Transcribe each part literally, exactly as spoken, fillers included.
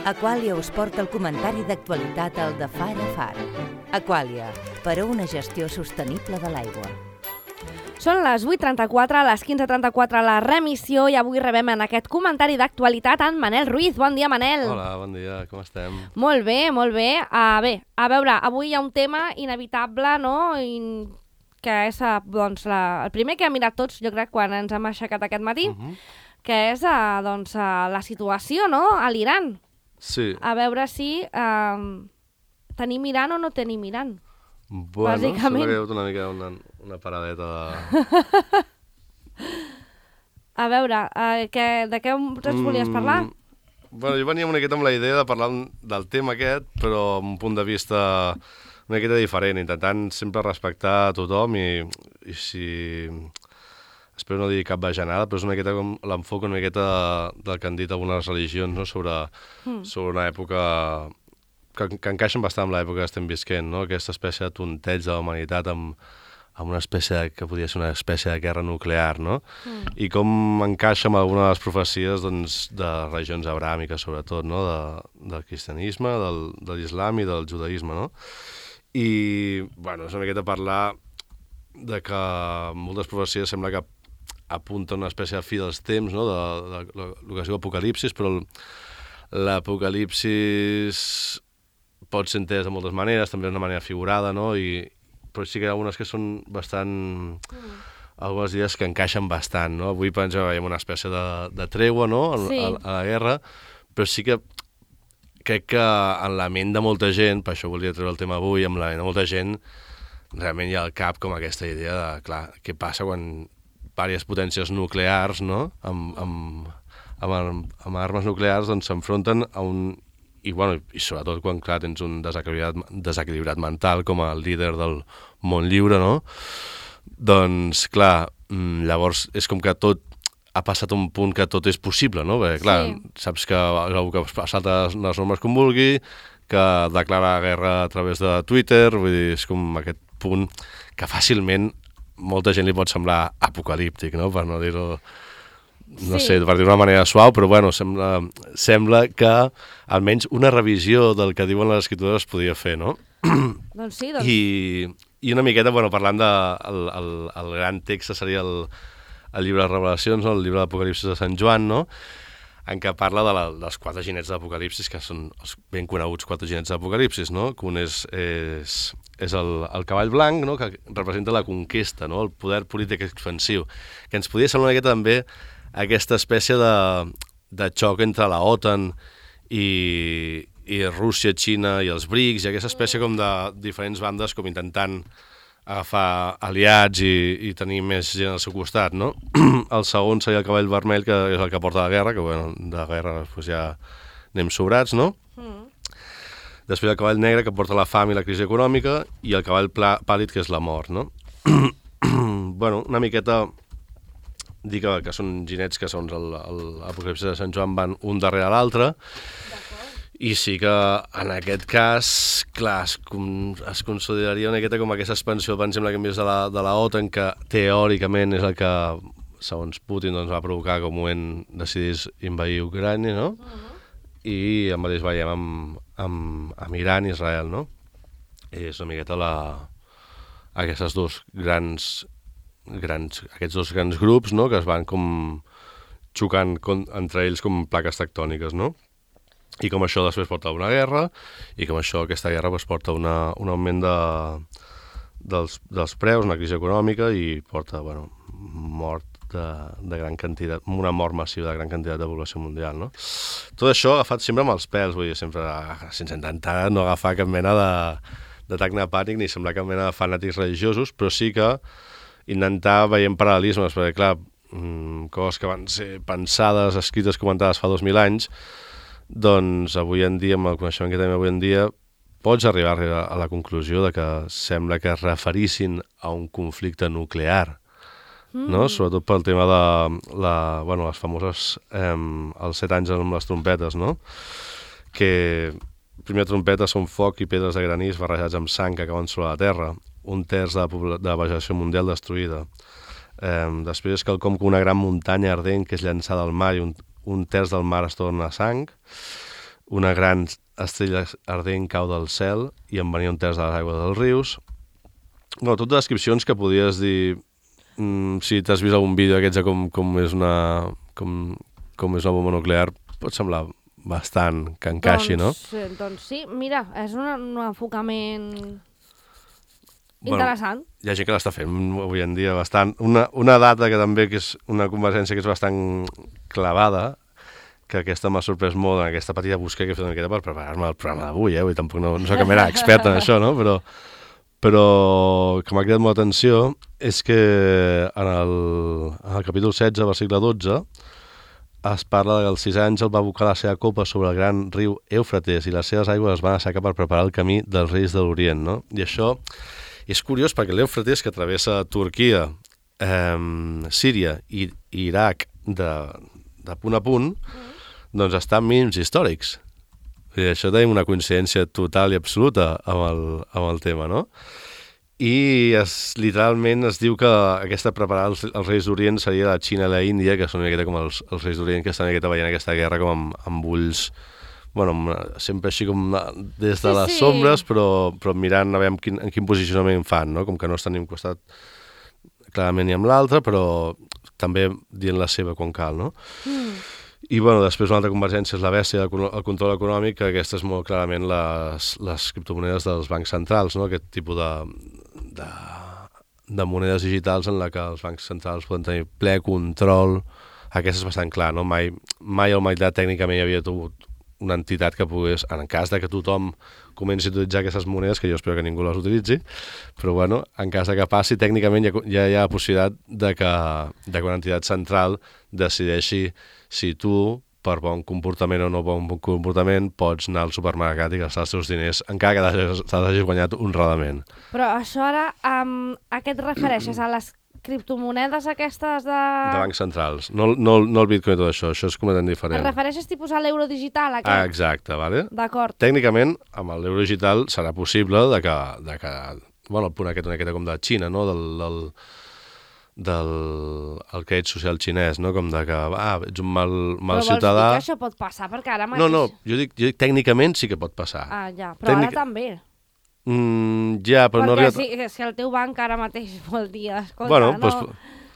Aquàlia us porta el comentari d'actualitat al de Far a Far. Aquàlia, per a una gestió sostenible de l'aigua. Són les vuit trenta-quatre, a les quinze trenta-quatre la remissió i avui rebem en aquest comentari d'actualitat en Manel Ruiz. Bon dia, Manel. Hola, bon dia, com estem? Molt bé, molt bé. Uh, bé, a veure, avui hi ha un tema inevitable, no?, I... que és doncs, la... el primer que hem mirat tots, jo crec, quan ens hem aixecat aquest matí, uh -huh. que és uh, doncs, uh, la situació, no?, a l'Iran. Sí. A veure si uh, tenim Iran o no tenim Iran. Bueno, bàsicament. sembla que hi ha hagut una mica una, una paradeta de... A veure, uh, que, de què ens volies parlar? Mm, bueno, jo venia una miqueta amb la idea de parlar del tema aquest, però amb un punt de vista una miqueta diferent, intentant sempre respectar a tothom i, i si... Espero no dir cap bajanada, però és una miqueta com l'enfoc una miqueta del que han dit algunes religions, no?, sobre, mm. sobre una època que, que encaixen bastant amb l'època que estem visquent, no?, aquesta espècie de tonteig de la humanitat amb, amb una espècie de, que podria ser una espècie de guerra nuclear, no? Mm. I com encaixa amb alguna de les profecies, doncs, de religions abràmiques, sobretot, no?, de, del cristianisme, del, de l'islam i del judaïsme, no? I, bueno, és una miqueta parlar de que moltes profecies sembla que apunta una espècie de fi dels temps, no?, de, de, de, de lo que es diu apocalipsis, però l'apocalipsis pot ser entès de moltes maneres, també d'una manera figurada, no?, I, però sí que hi ha algunes que són bastant... Mm. algunes idees que encaixen bastant, no? Avui, per exemple, veiem una espècie de, de tregua, no?, sí. a, a la guerra, però sí que crec que en la ment de molta gent, per això volia treure el tema avui, en la ment de molta gent, realment hi ha al cap com aquesta idea de, clar, què passa quan diverses potències nuclears, no?, amb, amb, amb, amb armes nuclears, doncs s'enfronten a un... I, bueno, i sobretot quan, clar, tens un desequilibrat, desequilibrat mental com a líder del món lliure, no?, doncs, clar, llavors és com que tot ha passat un punt que tot és possible, no?, perquè, clar, sí. saps que algú que salta les normes com vulgui, que declara guerra a través de Twitter, vull dir, és com aquest punt que fàcilment molta gent li pot semblar apocalíptic, no?, per no dir-ho, no sí. sé, per dir-ho d'una manera suau, però bueno, sembla, sembla que almenys una revisió del que diuen les escriptures es podia fer, no? Doncs sí, doncs... I, i una miqueta, bueno, parlant del de, el, el, el gran text seria el, el llibre de Revelacions, no?, el llibre d'Apocalipsis de Sant Joan, no?, en què parla de la, dels quatre ginets d'Apocalipsis, que són els ben coneguts quatre ginets d'Apocalipsis, no?, que un és, és, és el, el cavall blanc, no?, que representa la conquesta, no?, el poder polític expansiu, que ens podia semblar una miqueta també aquesta espècie de, de xoc entre la OTAN i, i Rússia, Xina i els BRICS, i aquesta espècie com de diferents bandes com intentant agafar aliats i, i tenir més gent al seu costat, no? El segon seria el cavall vermell, que és el que porta la guerra, que bueno, de guerra pues, ja anem sobrats, no? Mm. Després el cavall negre, que porta la fam i la crisi econòmica, i el cavall pla, pàl·lid, que és la mort, no? Bueno, una miqueta dir que, que són ginets que són l'Apocalipsi de Sant Joan, van un darrere l'altre, i sí que en aquest cas, clar, es, es consideraria una miqueta com aquesta expansió, per exemple, que hem vist de la, de la OTAN, que teòricament és el que, segons Putin, doncs, va provocar que un moment decidís invadir Ucrània, no? Uh-huh. I el mateix veiem amb, amb, amb Iran i Israel, no? I és una miqueta la, aquestes dos grans, grans, aquests dos grans grups, no?, que es van com xocant con, entre ells com plaques tectòniques, no? I com això després porta a una guerra, i com això, aquesta guerra, pues, porta una, un augment de, dels, dels preus, una crisi econòmica, i porta, bueno, mort de, de gran quantitat, una mort massiva de gran quantitat de població mundial, no? Tot això agafat sempre amb els pèls, vull dir, sempre sense intentar no agafar cap mena de, d'atac pànic ni semblar cap mena de fanàtics religiosos, però sí que intentar veient paral·lelismes, perquè, clar, coses que van ser pensades, escrites, comentades fa dos mil anys, doncs avui en dia, amb el coneixement que tenim avui en dia, pots arribar a la conclusió de que sembla que es referissin a un conflicte nuclear, mm. no? Sobretot pel tema de la, bueno, les famoses eh, els set anys amb les trompetes, no? Que primer trompetes són foc i pedres de granís barrejats amb sang que acaben sobre la terra, un terç de la, de la vegetació mundial destruïda. Eh, després és quelcom com una gran muntanya ardent que és llançada al mar i un, un terç del mar es torna sang, una gran estrella ardent cau del cel i en venia un terç de les aigües dels rius. Bueno, totes descripcions que podies dir... Mm, si t'has vist algun vídeo aquests de com, com, és una, com, com és una bomba nuclear, pot semblar bastant que encaixi, doncs, no? Doncs sí, mira, és un, un enfocament bueno, interessant. Hi ha gent que l'està fent avui en dia bastant. Una, una data que també que és una convergència que és bastant clavada, que aquesta m'ha sorprès molt en aquesta petita busca que he fet una miqueta per preparar-me el programa d'avui, eh? Vull, tampoc no, no sé que m'era expert en això, no? Però, però que m'ha cridat molt l'atenció és que en el, en el capítol setze, versicle dotze, es parla que als sis anys el va abocar la seva copa sobre el gran riu Eufrates i les seves aigües es van assecar per preparar el camí dels reis de l'Orient, no? I això és curiós perquè l'Eufrates, que travessa Turquia, eh, Síria i, i Iraq de, de punt a punt, doncs està en mínims històrics. I això tenim una coincidència total i absoluta amb el, amb el tema, no? I es, literalment es diu que aquesta preparada els, els reis d'Orient seria la Xina i la Índia, que són una miqueta com els, els reis d'Orient que estan una miqueta veient aquesta guerra com amb, amb ulls, bueno, sempre així com des de sí, les sí. sombres, però, però mirant a veure quin, en quin posicionament fan, no? Com que no estan ni un costat clarament ni amb l'altre, però també dient la seva quan cal, no? Mm. I bueno, després una altra convergència és la bèstia, el control econòmic, que aquesta és molt clarament les, les criptomonedes dels bancs centrals, no? Aquest tipus de, de, de monedes digitals en la que els bancs centrals poden tenir ple control. Aquesta és bastant clar, no? Mai, mai a la humanitat tècnicament hi havia tingut una entitat que pogués, en cas de que tothom comenci a utilitzar aquestes monedes, que jo espero que ningú les utilitzi, però bueno, en cas de que passi, tècnicament ja, ja hi ha la possibilitat de que, de que una entitat central decideixi si tu, per bon comportament o no bon comportament, pots anar al supermercat i gastar els teus diners encara que t'hagis guanyat honradament. Però això ara, um, a què et refereixes? A les criptomonedes aquestes de... De bancs centrals. No, no, no el Bitcoin i tot això, això és completament diferent. Et refereixes tipus a l'euro digital, aquest? Ah, exacte, vale? D'acord. Tècnicament, amb l'euro digital serà possible de que, de que bueno, el punt aquest una miqueta com de Xina, no? Del, del, del el crèdit social xinès, no? Com de que, ah, ets un mal, mal però ciutadà... Però vols dir que això pot passar? Perquè ara mateix... No, no, jo dic, jo dic tècnicament sí que pot passar. Ah, ja, però Tècnic... ara també. Mm, ja, però perquè no arriba... si, si el teu banc ara mateix vol dir, escolta, bueno, no, pues...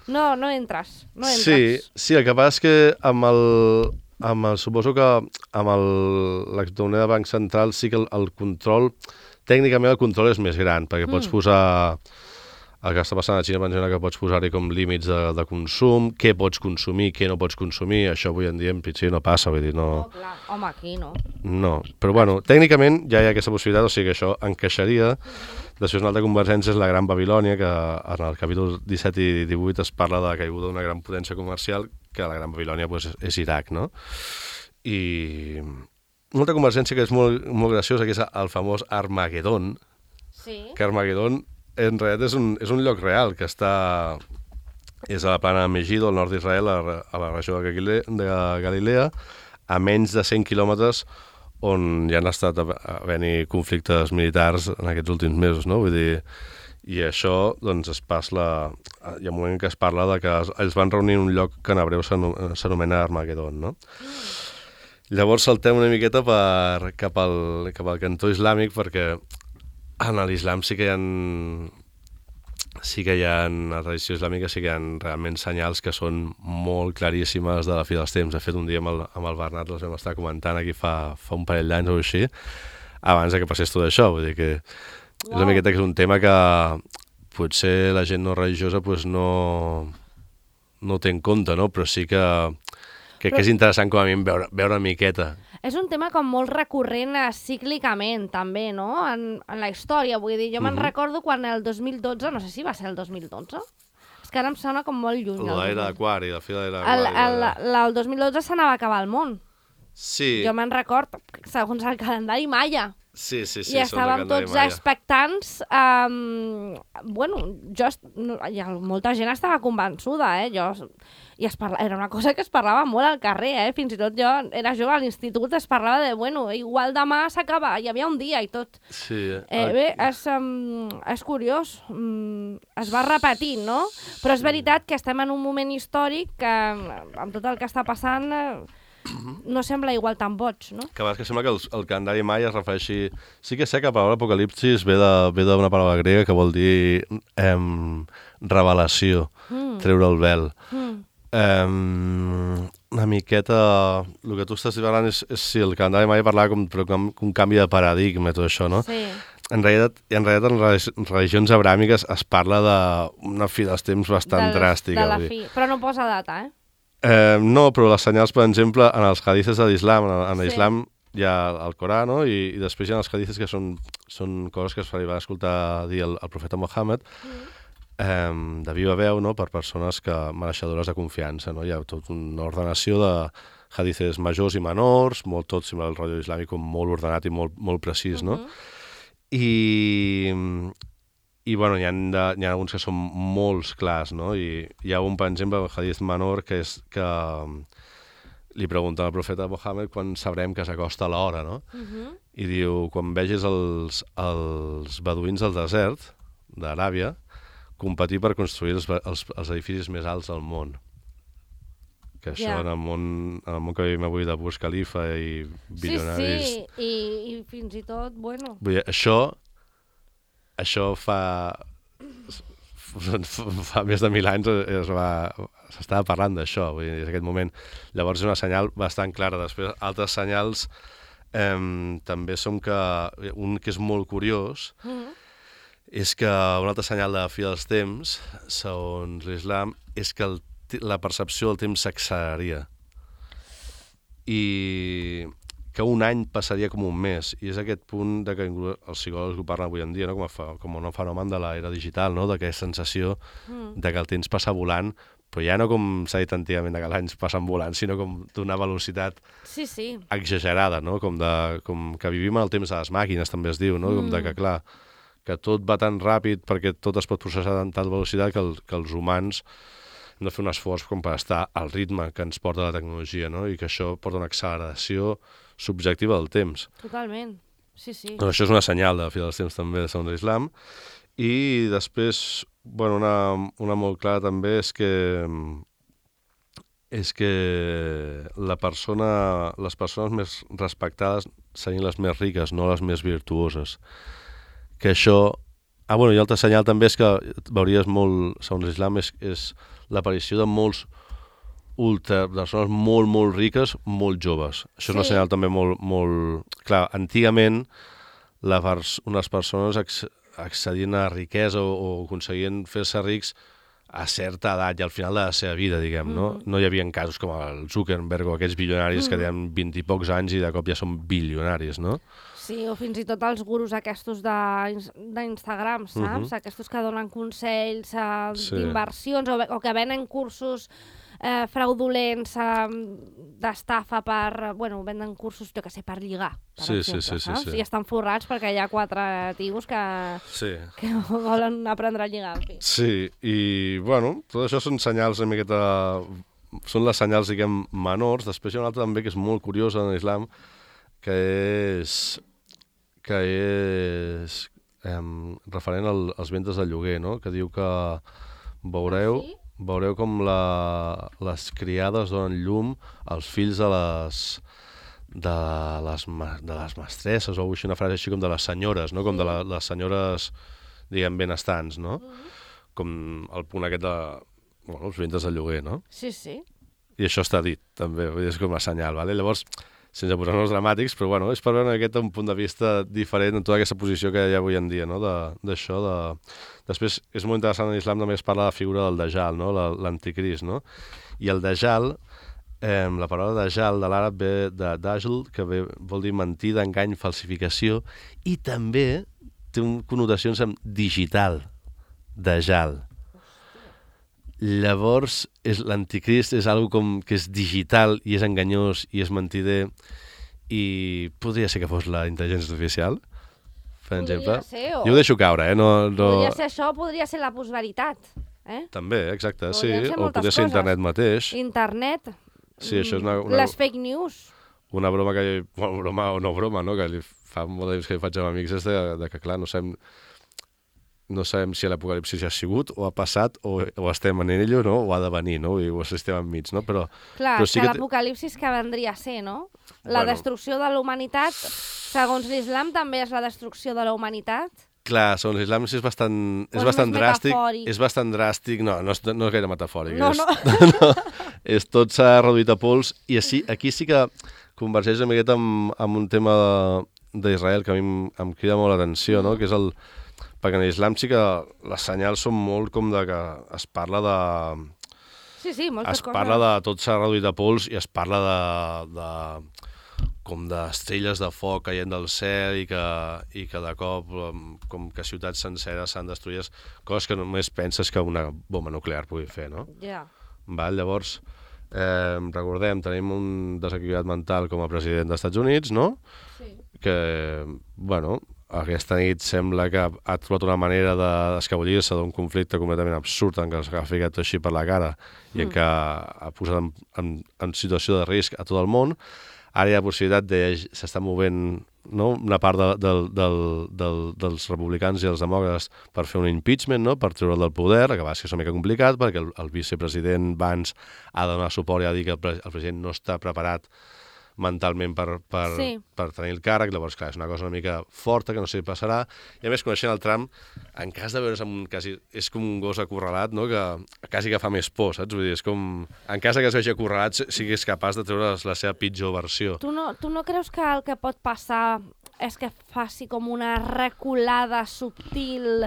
no, no entres, no entres. Sí, sí, el que passa és que amb el, amb el suposo que amb el, la criptomoneda de banc central sí que el, el control, tècnicament el control és més gran, perquè mm. pots posar, el que està passant a Xina, menciona que pots posar-hi com límits de, de consum, què pots consumir, què no pots consumir, això avui en dia en principi no passa, vull dir, no... No, clar, home, aquí no. No, però bueno, tècnicament ja hi ha aquesta possibilitat, o sigui que això encaixaria. Després una altra convergència és la Gran Babilònia, que en el capítol disset i divuit es parla de la caiguda d'una gran potència comercial, que la Gran Babilònia pues, és Iraq, no? I una altra convergència que és molt, molt graciosa, que és el famós Armagedon, sí. Que Armagedon en realitat és un, és un lloc real que està... és a la plana de Megiddo, al nord d'Israel, a, a la regió de Galilea, de Galilea, a menys de cent quilòmetres on ja han estat havent-hi conflictes militars en aquests últims mesos, no? Vull dir, i això, doncs, es parla... Hi ha un moment que es parla de que ells van reunir en un lloc que en hebreu s'anomena Armagedon, no? Mm. Llavors saltem una miqueta per, cap, al, cap al cantó islàmic, perquè en l'islam sí que hi ha... sí que hi ha, en la tradició islàmica sí que hi ha realment senyals que són molt claríssimes de la fi dels temps. De fet, un dia amb el, amb el Bernat les vam estar comentant aquí fa, fa un parell d'anys o així, abans de que passés tot això. Vull dir que wow. És una miqueta que és un tema que potser la gent no religiosa pues, no, no té en compte, no? Però sí que, que, Però... que és interessant com a mínim veure, veure una miqueta. És un tema com molt recurrent uh, cíclicament, també, no? En, en la història, vull dir, jo me'n uh -huh. recordo quan el dos mil dotze, no sé si va ser el dos mil dotze, és que ara em sona com molt lluny. L'era d'Aquari, la fi de l'era d'Aquari. El, el, el, el dos mil dotze s'anava a acabar el món. Sí. Jo me'n record, segons el calendari maia. Sí, sí, sí. I estàvem tots maia. expectants. Um, bueno, jo, no, molta gent estava convençuda, eh? Jo, i es parla, era una cosa que es parlava molt al carrer, eh? Fins i tot jo era jove a l'institut, es parlava de, bueno, igual demà s'acaba, hi havia un dia i tot. Sí. Eh, bé, és, um, és curiós, um, es va repetint, no? Però és veritat que estem en un moment històric que, amb tot el que està passant... Eh, no sembla igual tan boig, no? Que a vegades que sembla que el, el calendari maia es refereixi... Sí que sé que la paraula apocalipsis ve de- ve d'una paraula grega que vol dir em, revelació, Mm. treure el vel. Mm. Um, una miqueta... El que tu estàs parlant és, és sí, el calendari maia parlava com, però com un canvi de paradigma i tot això, no? Sí. En realitat, en realitat, en relig- religions abràmiques es parla d'una fi dels temps bastant Del- dràstica. De la vull dir. fi. Però no posa data, eh? Eh, no, però les senyals, per exemple, en els hadices de l'islam, en, en Sí. l'islam hi ha el Corà, no? I, i després hi ha els hadices que són, són coses que es va escoltar dir el, el profeta Mohammed, Mm. eh, de viva veu, no?, per persones que mereixedores de confiança, no? Hi ha tota una ordenació de hadices majors i menors, molt tot sembla el rotllo islàmic com molt ordenat i molt, molt precís, no? Mhm. I, i bueno, hi ha, de, hi ha alguns que són molts clars, no? I hi ha un, per exemple, el hadith menor, que és que um, li pregunta al profeta Mohammed quan sabrem que s'acosta l'hora, no? Mhm. I diu, quan vegis els, els beduïns del desert d'Aràbia competir per construir els, els, els edificis més alts del món. Que això Ja. en, el món, en el món que vivim avui de Burj Khalifa i bilionaris... Sí, sí, i, i fins i tot, bueno... Vull dir, això, això fa, fa més de mil anys es va, s'estava parlant d'això, vull dir, en aquest moment. Llavors és una senyal bastant clara. Després, altres senyals eh, també són que, un que és molt curiós, Mhm. és que un altre senyal de fi dels temps, segons l'islam, és que el, la percepció del temps s'acceleraria. I que un any passaria com un mes, i és aquest punt de que els psicòlegs ho parlen avui en dia, no? com, a, fa- com un fenomen de l'era digital, no? d'aquesta sensació Mm. de que el temps passa volant, però ja no com s'ha dit antigament de que els anys passen volant, sinó com d'una velocitat Sí, sí. exagerada, no? com, de, com que vivim en el temps de les màquines, també es diu, no? com de que, clar, que tot va tan ràpid perquè tot es pot processar amb tal velocitat que, el, que els humans hem de fer un esforç com per estar al ritme que ens porta la tecnologia, no? I que això porta una acceleració subjectiva del temps. Totalment. Sí, sí. Doncs això és una senyal de fi dels temps també de segons l'islam. I després, bueno, una, una molt clara també és que és que la persona, les persones més respectades serien les més riques, no les més virtuoses. Que això... Ah, bueno, i altre senyal també és que veuries molt, segons l'islam, és, és l'aparició de molts ultra, persones molt, molt riques, molt joves. Això és una Sí. senyal també molt, molt... Clar, antigament la pers unes persones acc accedien a riquesa o, o aconseguien fer-se rics a certa edat i al final de la seva vida, diguem, no? Mhm. No hi havia casos com el Zuckerberg o aquests bilionaris que tenen vint i pocs anys i de cop ja són bilionaris, no? Sí, o fins i tot els gurus aquests de- d'Instagram, saps? Mhm. Aquests que donen consells eh, Sí. d'inversions o, o que venen cursos eh, fraudulents eh, d'estafa per... Bueno, venen cursos, jo que sé, per lligar, per Sí, sí, exemple, sí, sí, saps? sí. I estan forrats perquè hi ha quatre tios que, Sí. que volen aprendre a lligar, en fi. Sí, i, bueno, tot això són senyals una miqueta... Són les senyals, diguem, menors. Després hi ha una altra també que és molt curiosa en l'islam, que és... que és... Eh, referent al, als ventres de lloguer, no? Que diu que veureu... Sí? Veureu com la, les criades donen llum als fills de les de les, ma- de les mestresses, o així una frase així com de les senyores, no? Com de la, les senyores, diguem, benestants, no? Com el punt aquest de... Bueno, els ventres de lloguer, no? Sí, sí. I això està dit, també, vull dir, és com una senyal, ¿vale? Llavors, sense posar-nos dramàtics, però bueno, és per veure aquest un punt de vista diferent en tota aquesta posició que hi ha avui en dia, no? De- d'això, de... Després, és molt interessant, en l'islam també es parla de la figura del Dajjal, no? La- l'anticrist, no? I el Dajjal, eh, la paraula Dajjal de l'àrab ve de Dajjal, que ve, vol dir mentida, engany, falsificació, i també té un, connotacions amb digital, Dajjal. Llavors, és l'anticrist és algo com que és digital i és enganyós i és mentider i podria ser que fos la intel·ligència artificial, per Podria exemple. ser, o- Jo ho deixo caure, eh? No, no... Podria ser això, podria ser la postveritat. Eh? També, exacte, sí. Podrien ser O moltes podria ser coses. internet mateix. Internet, Sí, això és una, una, les fake news. una broma que... Bueno, broma o no broma, no? Que li fa molt de temps que li faig amb amics és de, de que, clar, no sabem... no sabem si l'apocalipsi ja ha sigut, o ha passat, o, o estem en ell, no? O ha de venir, no? I o estem enmig, no? Però, Clar, però sí que que... l'apocalipsis que vendria a ser, no? La Bueno. destrucció de la humanitat, segons l'islam, també és la destrucció de la humanitat? Clar, segons l'islam és bastant, és és bastant més dràstic. metafòric? És bastant dràstic, no, no és, no és gaire metafòric. No, és, no. no. És tot s'ha reduït a pols, i així, aquí sí que convergeix una miqueta amb, amb un tema d'Israel que a mi em, em crida molt l'atenció, no? Que és el... Perquè en l'islam sí que les senyals són molt com de que es parla de... Sí, sí, moltes es coses. parla de tot s'ha reduït a pols i es parla de, de com d'estrelles de foc caient del cel i que, i que de cop com que ciutats senceres s'han destruït, coses que només penses que una bomba nuclear pugui fer, no? Ja. Val? Llavors, eh, recordem, tenim un desequilibrat mental com a president dels Estats Units, no? Sí. Que, bueno, aquesta nit sembla que ha trobat una manera d'escabollir-se d'un conflicte completament absurd en què els ha ficat així per la cara i en què ha posat en, en, en situació de risc a tot el món. Ara hi ha la possibilitat de... s'està movent, no?, una part de, de, de, de, dels republicans i els demòcrates per fer un impeachment, no?, per treure'l del poder, que va ser una mica complicat perquè el, el vicepresident Vance ha de donar suport i ha de dir que el, el president no està preparat mentalment per, per, Sí. per tenir el càrrec. Llavors, clar, és una cosa una mica forta que no sé si passarà, i a més, coneixent el Trump, en cas de veure's amb un... quasi, és com un gos acorralat, no?, que quasi que fa més por, saps? Vull dir, és com... En cas de que es vegi acorralat, siguis capaç de treure la seva pitjor versió. Tu no, tu no creus que el que pot passar és que faci com una reculada subtil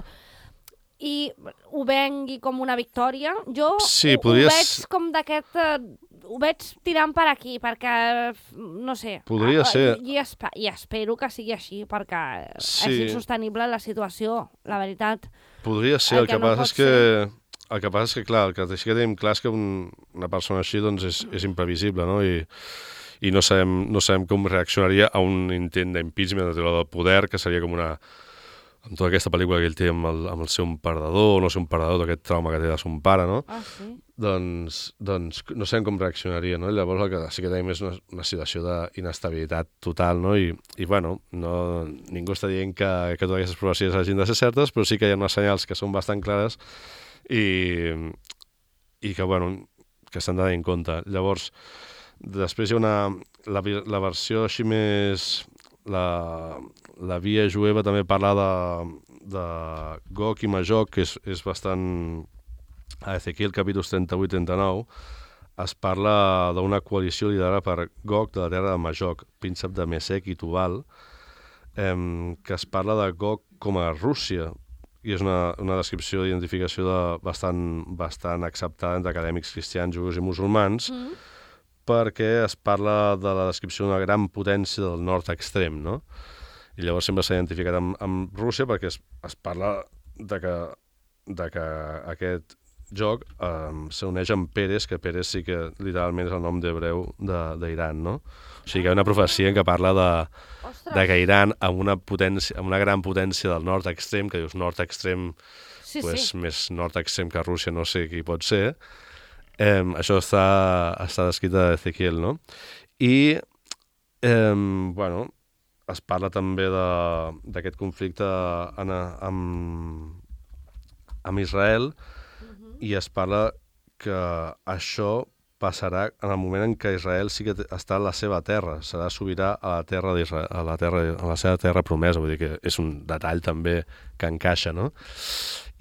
i ho vengui com una victòria? Jo Sí, ho, podries- ho veig com d'aquest... Eh, ho veig tirant per aquí, perquè, no sé... Podria eh, ser. I, espe I espero que sigui així, perquè Sí. és insostenible la situació, la veritat. Podria ser, El el, que que, no passa pot és que... El que passa és que, clar, el que sí que tenim clar és que un, una persona així doncs, és, és imprevisible, no? I, i no sabem, no sabem com reaccionaria a un intent d'impeachment, de treure del poder, que seria com una... amb tota aquesta pel·lícula que ell té amb el, amb el seu perdedor, no sé, un perdedor d'aquest trauma que té de son pare, no? Ah, sí? Doncs, doncs no sabem com reaccionaria, no? Llavors el que sí que tenim és una, una situació d'inestabilitat total, no? I, i bueno, no, ningú està dient que, que totes aquestes profecies hagin de ser certes, però sí que hi ha unes senyals que són bastant clares i, i que, bueno, que s'han de tenir en compte. Llavors, després hi ha una... La, la versió així més... La, la via jueva també parla de, de Gog i Magog, que és, és bastant... A Ezequiel, capítols trenta-vuit trenta-nou, es parla d'una coalició liderada per Gog de la terra de Magog, príncep de Mesec i Tubal, eh, que es parla de Gog com a Rússia, i és una, una descripció d'identificació de, bastant, bastant acceptada entre acadèmics cristians, jueus i musulmans, mm. perquè es parla de la descripció d'una gran potència del nord extrem, no? I llavors sempre s'ha identificat amb, amb Rússia perquè es, es parla de que, de que aquest joc um, s'uneix amb Pérez, que Pérez sí que literalment és el nom d'hebreu d'Iran, no? O sigui que hi ha una profecia en què parla de, de que Iran, amb una, potència, amb una gran potència del nord extrem, que dius nord extrem, Sí, pues, sí. més nord extrem que Rússia, no sé qui pot ser, eh, això està, està descrit a Ezequiel, no? I, eh, bueno, es parla també d'aquest conflicte en, amb, amb Israel, i es parla que això passarà en el moment en què Israel sí que està a la seva terra, serà sobirà a la terra d'Israel, a la terra, a la seva terra promesa, vull dir que és un detall també que encaixa, no?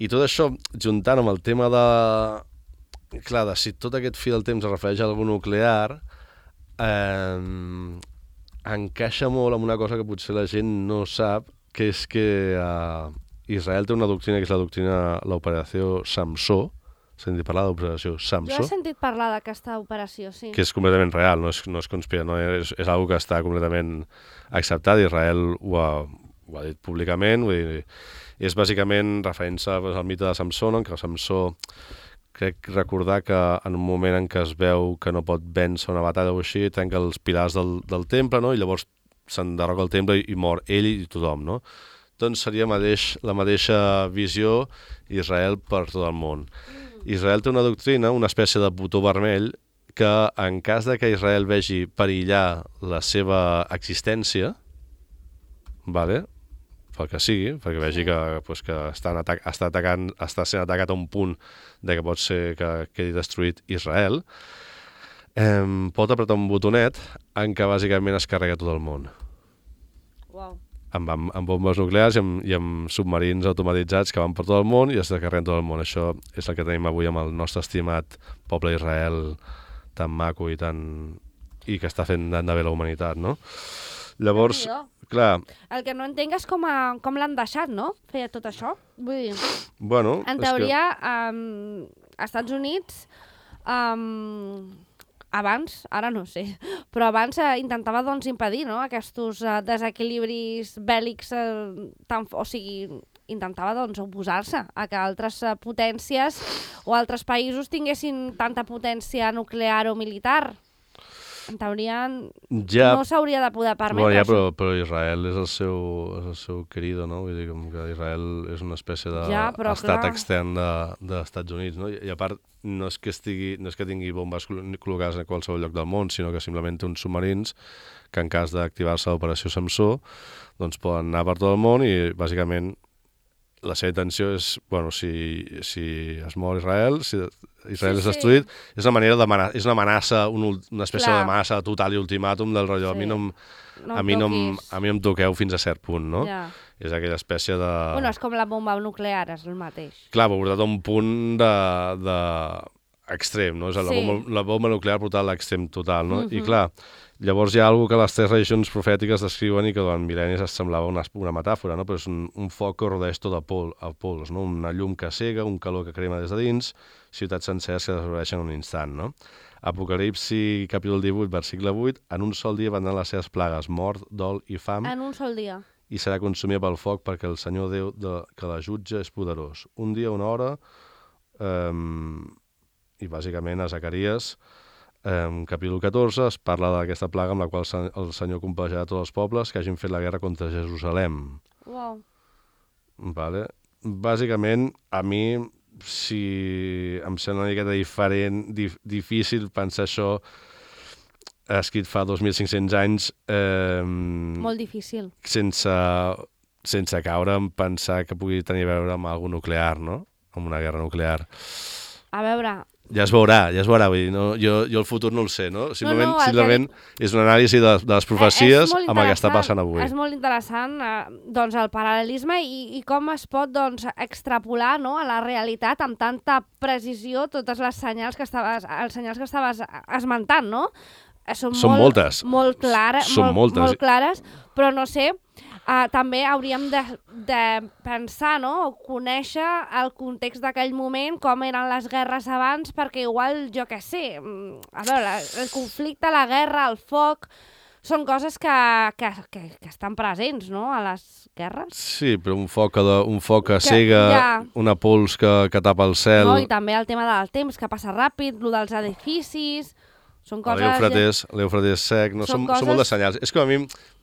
I tot això, juntant amb el tema de... Clar, de si tot aquest fil del temps es refereix a algú nuclear, eh, encaixa molt amb una cosa que potser la gent no sap, que és que eh, Israel té una doctrina que és la doctrina, l'operació Samsó. S'ha sentit parlar de l'operació Samsó? Jo he sentit parlar d'aquesta operació, sí. Que és completament real, no és, no és conspira, no? És, és una que està completament acceptat. Israel ho ha, ho ha dit públicament, vull dir, és bàsicament referència al mite de Samsó, no? En què Samsó, crec recordar que en un moment en què es veu que no pot vèncer una batalla o així, trenca els pilars del, del temple, no? I llavors s'enderroca el temple i, i mor ell i tothom, no? Doncs seria mateix, la mateixa visió Israel per tot el món. Israel té una doctrina, una espècie de botó vermell, que en cas de que Israel vegi perillar la seva existència, vale? pel que sigui, perquè vegi que, pues, que estan atac està, atacant, està sent atacat a un punt de que pot ser que quedi destruït Israel, eh, pot apretar un botonet en què bàsicament es carrega tot el món. Uau. Amb, amb, amb bombes nuclears i amb, i amb submarins automatitzats que van per tot el món i es carreguen tot el món. Això és el que tenim avui amb el nostre estimat poble Israel, tan maco i tan i que està fent tant de bé la humanitat, no? Llavors, clar... El que no entenc és com, a, com l'han deixat, no? Feia tot això. Vull dir, bueno, en teoria, que... um, als Estats Units... Um, abans, ara no sé, però abans eh, intentava doncs, impedir no? aquests eh, desequilibris bèl·lics, eh, tan, o sigui, intentava doncs, oposar-se a que altres eh, potències o altres països tinguessin tanta potència nuclear o militar. En teoria ja, no s'hauria de poder permetre bueno, ja, això. però, però Israel és el seu, és el seu querido, no? Vull dir com que Israel és una espècie d'estat de, ja, extern dels de, Estats Units, no? I, I a part, no és que estigui, no és que tingui bombes col·locades a qualsevol lloc del món, sinó que simplement té uns submarins que en cas d'activar-se l'operació Samsó, doncs poden anar per tot el món i bàsicament la seva intenció és, bueno, si, si es mor Israel, si Israel sí, és destruït, sí. és una manera d'amenaça, és una amenaça, un, una espècie d'amenaça total i ultimàtum del rotllo. Sí. A mi no, em, no a mi no, em, a mi em toqueu fins a cert punt, no? Ja. És aquella espècie de... Bueno, és com la bomba nuclear, és el mateix. Clar, però portat a un punt de... de... extrem, no? És la, sí. bomba, la bomba nuclear portada a l'extrem total, no? Uh-huh. I clar, llavors hi ha alguna que les tres religions profètiques descriuen i que durant mil·lennis es semblava una, una metàfora, no? Però és un, un foc que rodeix tot a, pol, a pols, no? Una llum que cega, un calor que crema des de dins, ciutats senceres que desapareixen en un instant, no? Apocalipsi, capítol divuit, versicle vuit, en un sol dia vendran les seves plagues, mort, dol i fam. En un sol dia. I serà consumida pel foc perquè el Senyor Déu de, que la jutja és poderós. Un dia, una hora... Eh, i bàsicament a Zacaries, eh, capítol catorze, es parla d'aquesta plaga amb la qual el Senyor complacerà tots els pobles que hagin fet la guerra contra Jerusalem. Wow. Vale? Bàsicament, a mi, si em sembla una miqueta diferent, dif, difícil pensar això escrit fa dos mil cinc-cents anys... Eh, Molt difícil. Sense, sense caure en pensar que pugui tenir a veure amb alguna nuclear, no? Amb una guerra nuclear. A veure... Ja es veurà, ja es veurà, vull dir, no? jo, jo el futur no el sé, no? Simplement, no, no, simplement que... és una anàlisi de, de les profecies amb el que està passant avui. És molt interessant eh, doncs, el paral·lelisme i, i com es pot doncs, extrapolar no, a la realitat amb tanta precisió totes les senyals que estaves, els senyals que estaves esmentant, no? Són, Són molt, moltes. Molt, clara, Són molt, moltes. molt clares, però no sé... Uh, també hauríem de, de pensar, no?, o conèixer el context d'aquell moment, com eren les guerres abans, perquè igual, jo què sé, a veure, el conflicte, la guerra, el foc, són coses que, que, que, que estan presents, no?, a les guerres. Sí, però un foc que, un foc que cega, ja... una pols que, que tapa el cel... No, i també el tema del temps, que passa ràpid, el dels edificis... Són coses... L'Eufrates, l'Eufrates sec, no? Són, són, coses... són molt de senyals. És com a mi,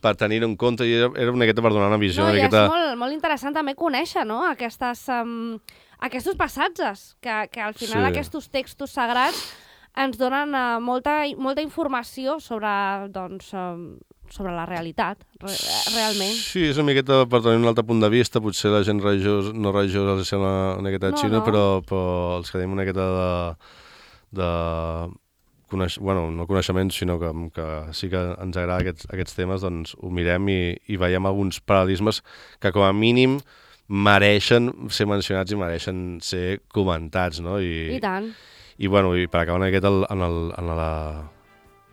per tenir en compte, i era, era una miqueta per donar una visió... No, una i miqueta... és molt, molt interessant també conèixer, no?, aquestes, um, aquests passatges, que, que al final sí. Aquests textos sagrats ens donen uh, molta, molta informació sobre, doncs, um, sobre la realitat, re realment. Sí, és una miqueta per tenir un altre punt de vista, potser la gent religiós, no religiosa els sembla una miqueta no, xino, no. Però, però els que tenim una miqueta de... de Coneix... bueno, no coneixements, sinó que, que sí que ens agrada aquests, aquests temes, doncs ho mirem i, i veiem alguns paral·lelismes que com a mínim mereixen ser mencionats i mereixen ser comentats, no? I, I tant. I, bueno, i per acabar una miqueta en el, en, la,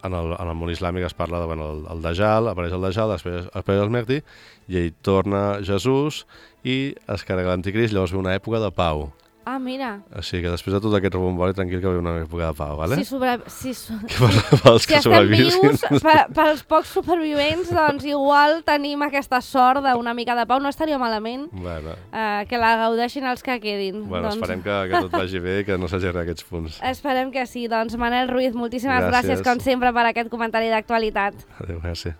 en, el, en el món islàmic es parla de, bueno, el, el Dajjal, apareix el Dajjal, després apareix el Mehdi, i ell torna Jesús i es carrega l'anticrist, llavors ve una època de pau. Ah, mira. Així que després de tot aquest rebombori, tranquil que ve una època de pau, vale? Si, sobre... si, so... pels si estem vius, per, pels pocs supervivents, doncs igual tenim aquesta sort d'una mica de pau. No estaria malament bueno. eh, que la gaudeixin els que quedin. Bueno, doncs... esperem que, que tot vagi bé i que no s'hagi aquests punts. Esperem que sí. Doncs Manel Ruiz, moltíssimes gràcies. gràcies, com sempre, per aquest comentari d'actualitat. Adéu, gràcies.